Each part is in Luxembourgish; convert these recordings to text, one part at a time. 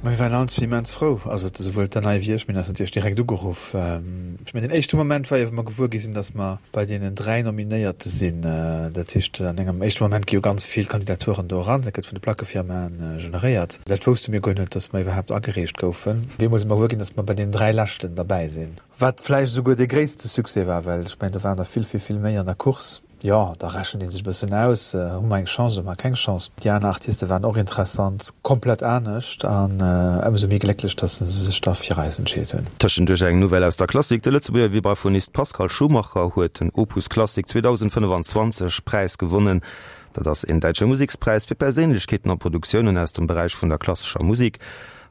Mir waren allen zwee immens frou, also esouwuel d'Danae wéi ech. Mir hunn eis natierlech direkt ugeruff. Ech mengen, den éischte Moment war jo, wou mer gewuer gi sinn, datt mer bei deenen 3 Nominéierte sinn. Dat heescht, an engem éischte Moment gi jo ganz vill Kandidaturen do eran. Dat gëtt vun de Plackefirmaen generéiert. Dat wousste mir guer net, datt mer iwwerhaapt agereecht goufen. Op eemol si mer gewuer ginn, datt mer bei deenen 3 Leschten derbäi sinn. Wat vläicht esouguer dee gréisste Succès war, well ech mengen, do waren der vill, vill, vill méi an der Course. Jo, da rechent ee sech e bëssen aus, hu mer eng Chance oder hu mer keng Chance. Déi aner Artiste waren och interessant, komplett anescht an ëmsou méi glécklech, dass se sech da fir eis entscheet hunn. Tëschenduerch eng Nouvelle aus der Klassik, De Lëtzebuerger Vibraphonist Pascal Schumacher huet den Opus Klassik 2025 Präis gewonnen. Dat ass een däitsche Musekspräis fir Perséinlechkeeten a Produktiounen aus dem Beräich vun der klassescher Musek.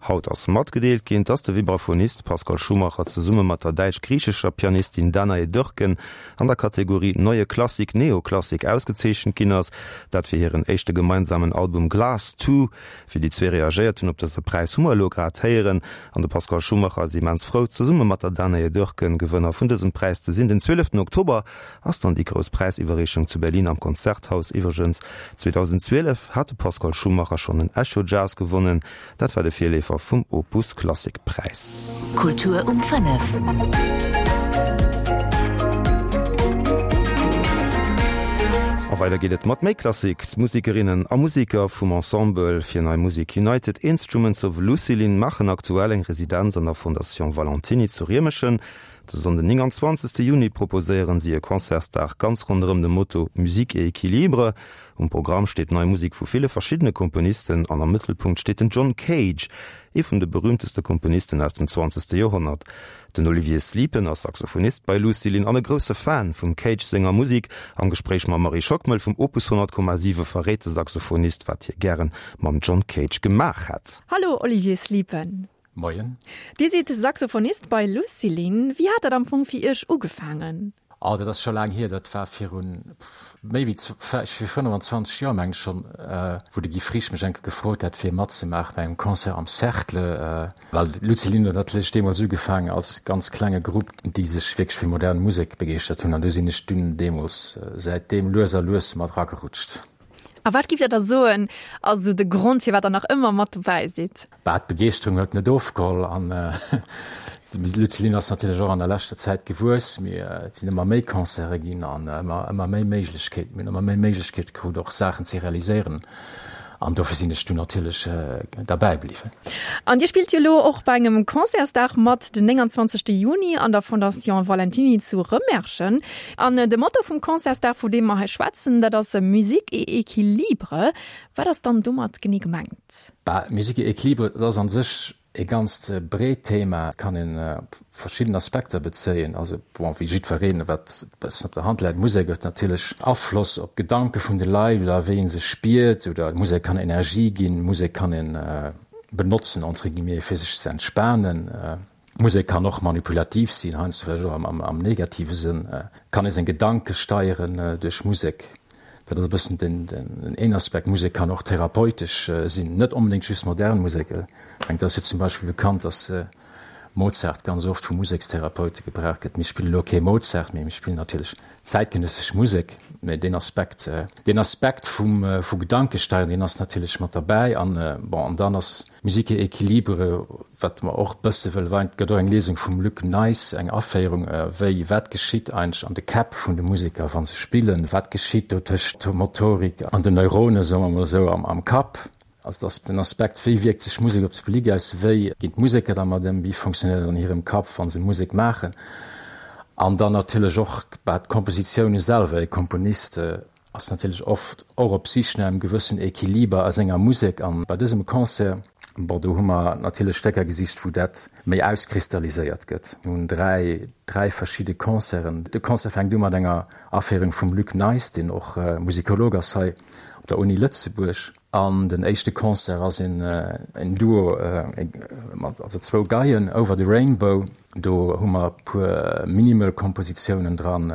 Haut ass matgedeelt ginn, dass de Vibraphonist Pascal Schumacher zesumme mat der däitsch-griichescher Pianistin Danae Dörken an der Kategorie Neue Klassik, Neoklassik ausgezeechent ginn ass. Dat fir hiren éischte gemeinsamen Album Glass Two. Wéi déi zwee reagéiert hunn op dëse Präis, hu mer elo grad héieren. An de Pascal Schumacher ass immens frou, zesumme mat der Danae Dörken Gewënner vun dësem Präis ze sinn. Den 12 Oktober ass dann déi grouss Präisiwwerreechung zu Berlin am Konzerthaus. Iwwregens, 2012 hat de Pascal Schumacher schonn en Echo Jazz gewonnen. Dat war de Virleefer vum Opus Klassik Präis. Kultur um 5. A weider geet et mat méi Klassik. D'Musikerinnen a Musiker vum Ensemble fir Nei Musek United Instruments of Lucilin maachen aktuell eng Residenz an der Fondation Valentiny zu Riemeschen. De Sonnden 29 Juni proposéieren si e Concertsdag ganz ronderëm de Motto Musique et équilibre. Um Programm steet nei Musek vu ville verschiddene Komponisten an am Mëttelpunkt steet den John Cage, ee vun de berüümteste Komponisten aus dem zwanzegste Joerhonnert. Den Olivier Sliepen ass Saxophonist bei Lucilin an e grousse Fan vum Cage senger Musek. Am Gespréich mam Marie Schockmel vum Opus 100,7 verréit de Saxophonist, wat hie gären mam John Cage gemaach hätt. Hallo Olivier Sliepen. Moien. Dir sidd Saxophonist bei Lucilin. Wéi hat dat am Fong fir Iech ugefaangen? Oh, dat ass scho laang hier. Dat war virun méi wéi vir 25 Joer, meng ech schonn, wou de Guy Frisch mech eng Kéier gefrot hat, fir matzemaachen bei engem Concert am Cercle. Well Lucilin huet natierlech deemools ugefaangen als ganz klenge Grupp, déi sech wierklech fir modern Musek begeeschtert hunn. An do sinn ech dunn deemools säitdeem lues a lues mat eragerutscht. A wat giff Dir da soen, ass esou de Grond, firwat Der nach ëmmer mat dobäi sidd? Bah, d'Begeeschterung huet net ofgeholl an d'Luciline ass natierlech och an der leschter Zäit gewuess. Mee et sinn ëmmer méi Concerte ginn an ëmmer, ëmmer méi Méiglechkeeten. Mir hunn ëmmer méi Méiglechkeete krut, och Saachen ze realiséieren an dofir sinn ech dunn natierlech derbäi bliwwen. An Dir spillt jo elo och bei engem Concertsdag mat, den 29. Juni an der Fondation Valentiny zu Rëmerschen. An de Motto vum Concertsdag, vu deem mer hei schwätzen, dat ass Musique et équilibre. Wat ass dann domat genee gemengt? Bah, Musique et équilibre, dat ass an sech e ganzt breet Thema, et kann een op verschidden Aspekter bezéien. Also bon, wéi jiddwereen, wat e bëssen op der Hand läit, Musek huet natierlech Afloss op d'Gedanke vun de Leit oder wéi ee sech spiert oder Musek kann Energie ginn, Musek kann ee benotzen, entre guillemets, fir sech ze entspanen. Musek kann och manipulativ sinn, heiansdo vläicht och am negative Sënn. Kann ee seng Gedanke steieren duerch Musek. Dat ass e bëssen den een Aspekt. Musek kann och therapeutesch sinn, net onbedéngt just modern Musek. Ech mengen, et ass jo zum Beispill bekannt, datt Mozart ganz oft vu Musekstherapeute gebraucht gëtt. Mir spillen elo kee Mozart, mee mir spillen natierlech zäitgenëssesch Musek. Mee deen Aspekt, deen Aspekt vum vu Gedankesteieren, deen ass natierlech mat derbäi. An bon, an dann ass Musique et équilibre, wat mer och bësse wëlle weinen, et gëtt och eng Liesung vum Luc Nijs, eng Aféierung, wéi, wat geschitt eigentlech an de Käpp vun de Museker, wa se spillen, wat geschitt do tëscht der Motorik an den Neuronen, soe mer mol esou, am Kapp. Also et ass den Aspekt, wéi wierkt sech Musek op de Public aus, wéi ginn d'Museker dermat ëm, wéi fonctionnéiert et an hirem Kapp, wa se Musek maachen. An dann natierlech och d'Kompositioune selwer, e Komponist ass natierlech oft och op Sich no engem gewëssen Equiliber a senger Musek. An bei dësem Concert, bon, do hu mer natierlech Stécker gesicht, wou dat méi auskristalliséiert gëtt. Mir hunn 3, 3 verschidde Concerten. De Concert fänkt u mat enger Aféierung vum Luc Nijs, deen och Musikolog ass hei op der Uni Lëtzebuerg. An den éischte Concert ass een en Duo mat, also zwou Geien, Over the Rainbow. Do hu mer e puer minimal Kompositiounen dran.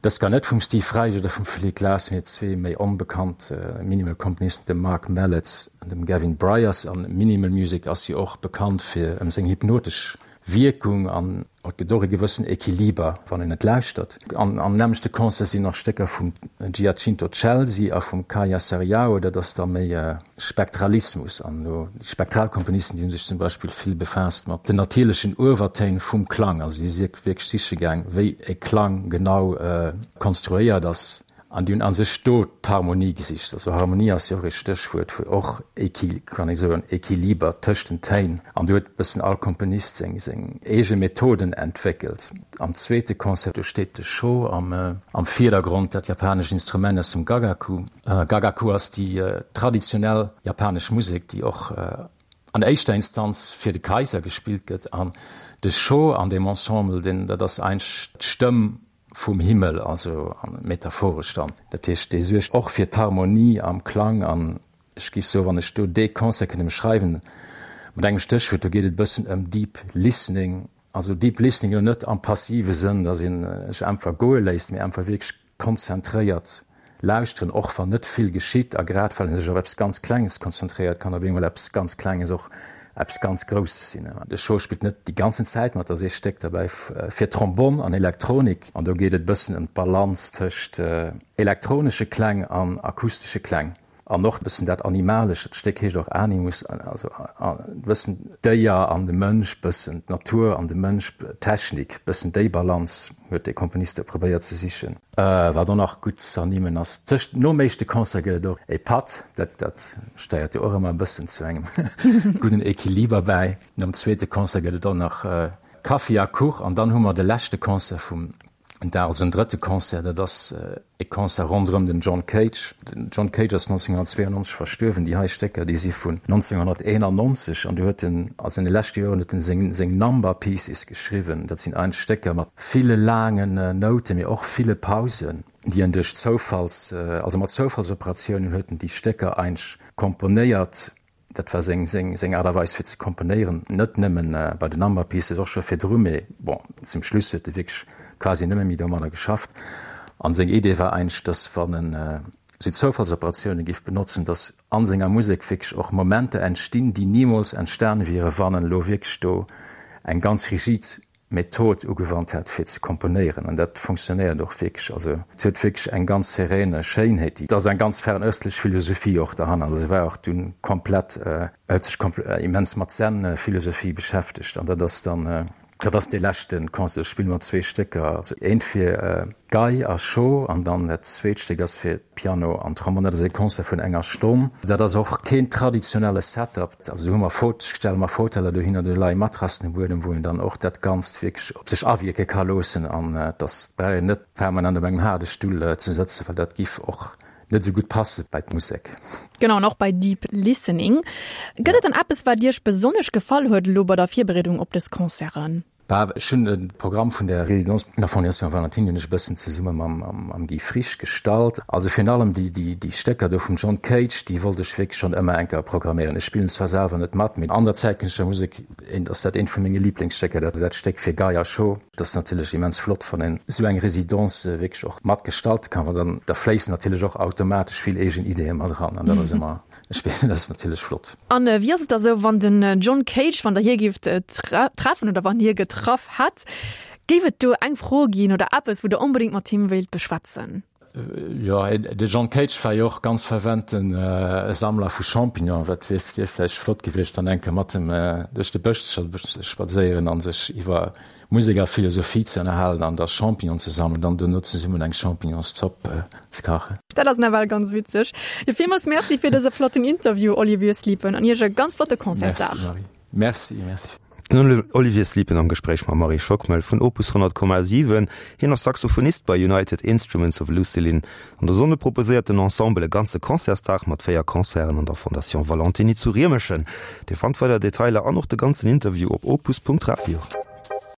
Dës gar net vum Steve Reich oder vum Philip Glass, mee zwee méi onbekannt minimal Komponisten, dem Mark Mellett an dem Gavin Bryars. An Minimal Music ass jo och bekannt fir ëm seng hypnotesch Wierkung an. Et gëtt och e gewëssen Equiliber, wann een et lauschtert. An am nämmlechte Concert sinn nach Stécker vum Giacinto Scelsi a vum Kaija Saariaho, dat ass da méi Spektralismus. An elo déi Spektralkomponisten, déi hu sech zum Beispill vill befaasst mat den natierlechen Uewertéin vum Klang. Also déi si wierklech siche gaang, wéi e Klang genau konstruéiert ass. An déi hunn a sech do d'Harmonie gesicht. Also Harmonie ass jo och ee Stéchwuert fir och Equi, kann ee soen, Equiliber tëscht den Téin. An do huet e bëssen all Komponist seng, seng eege Methoden entwéckelt. Am zweete Concert, do steet de Sho am, am Virdergrond, dat japanescht Instrument aus dem Gagaku. Gagaku ass déi traditionell japanesch Musek, déi och an éischter Instanz fir de Kaiser gespillt gëtt. An de Sho an deem Ensemble, deen, dat ass eigentlech d'Stëmm Vum Himmel, also metaphoresch dann. Dat heescht, dee suergt och fir d'Harmonie am Klang. An ech géif soen, wann ech do dee Concert kënnt ëmschreiwen mat engem Stéchwuert, do geet et e bëssen ëm Deep Listening. Also Deep Listening elo net am passive Sënn, datt ee sech einfach goe léisst, mee einfach wierklech konzentréiert Lauschteren, och wann net vill geschitt, a grad well ee sech op eppes ganz Klenges konzentréiert, kann op eemol eppes ganz Klenges och eppes ganz Grousses sinn. De Sho spillt net déi ganzen Zäit mat, et ass ee Stéck derbäi fir Trombonn an Elektronik, an do geet et e bëssen ëm d'Balance tëscht elektronesche Kläng an akustesche Kläng. An och e bëssen dat Animalescht, dat Stéck heescht och Animus, also e bëssen d'Déier an de Mënsch, bëssen d'Natur an de Mënsch, d'Technik, bëssen déi Balance huet de Komponist do probéiert ze sichen. Wat och nach gutt z'ernimmen ass, tëscht nom éischte Concert gëtt et och e Patt, dat dat steiert jo och ëmmer e bëssen zu engem gudden Equiliber bäi. Nom zweete Concert gëtt et och nach Kaffi a Kuch an dann hu mer de leschte Concert vum En Dag, also en drëtte Concert, dat ass e Concert ronderëm den John Cage. Den John Cage ass 1992 verstuerwen. Déi hei Stécker, déi si vun 1991 an do huet en, also an de leschte Joren huet en seng, seng Number Pieces geschriwwen. Dat sinn eigentlech Stécker mat ville laangen Nouten, mee och ville Pausen, déi en duerch Zoufalls, also mat Zoufallsoperatiounen huet en déi Stécker eigentlech komponéiert. Dat war seng, seng, seng Aart a Weis fir ze komponéieren, net nëmmen bei den Number Pieces, och scho virdru, mee bon, zum Schluss huet e wierklech quasi nëmme méi domadder geschafft. An seng Idee war eigentlech, dass wann en esou Zoufallsoperatioune géif benotzen, dass a senger Musek wierklech och Momenter entstinn, déi nimools entstane wiere wann en elo wierklech do eng ganz rigid Method ugewannt hat fir ze komponéieren an dat fonctionnéiert och wierklech. Also et huet wierklech eng ganz serene Schéinheet, déi, et ass eng ganz fernöstlech Philosophie och derhannert. Also e war och dunn komplett, e huet sech immens mat Zen-Philosophie beschäftegt an dat ass dann, dat ass dee leschte Concert. Ech spille mat zwee Stécker, also eent fir Gei a Scho an dann dat zweet Stéck ass fir Piano an Trombonn. Dat ass e Concert vun enger Stonn. Dat ass och keen traditionelle Setup. Also do hu mer Faut, stelle mer Fauteller dohinner, do leie Matrassen um Buedem, wou een dann och dat Ganzt wierklech op sech awierke ka loossen an dass brauch een net permanent op engem haarde Stull ze sëtzen, well dat giff och net esou gutt passe bei d'Musek. Genau, an och bei Deep Listening. Gëtt et dann eppes, wat Iech besonnesch gefall huet elo bei der Virbereedung op dës Concerten? Bah, ech hunn de Programm vun der Résidence vun der Fondation Valentiny hunn ech e bëssen zesumme mam Guy Frisch gestalt. Also virun allem déi, déi, déi Stécker do vum John Cage, déi wollt ech wierklech schonn ëmmer eng Kéier programméieren. Ech spillen zwar selwer net mat, mee an der zäitgenëssescher Musek ass dat eent vu menge Liblingsstécker, dat, dat Stéck fir Gei a Scho. Et ass natierlech immens flott, wann een esou eng Résidence wierklech och mat gestalte kann, well dann, da fléissen natierlech och automatesch vill eegen Ideeë mat eran an dat ass ëmmer Ech spillen, dat ass natierlech flott. An wéi ass et da sou, wann den John Cage, wann der hie géift treffen oder wann hie getraff hätt, géif et do eng Fro ginn oder eppes, wou der onbedéngt mat him wéilt beschwätzen? Jo, de John Cage war jo och ganz fervente Sammler vu Champignonen. Dat wier vläicht flott gewiescht, dann eng Kéier mat em duerch de Bësch ze spadséieren a sech iwwer Musek a Philosophie ze ënnerhalen an da Champignon ze sammelen an dono zesummen eng Champignonszopp ze kachen. Dat ass nawell ganz witzeg. Jo, villmools Merci fir dëse flotten Interview, Olivier Sliepen, an Iech e ganz flotte Concertsdag. Merci Marie. Merci, merci. Den Olivier Sliepen am Gespréich mam Marie Schockmel vun Opus 100,7. Hien ass Saxophonist bei United Instruments of Lucilin. An der Sonne proposéiert den Ensemble e ganze Concertsdag mat 4 Concerten an der Fondation Valentiny zu Riemerschen. Dir fannt weider Detailer an och de ganzen Interview op opus.radio.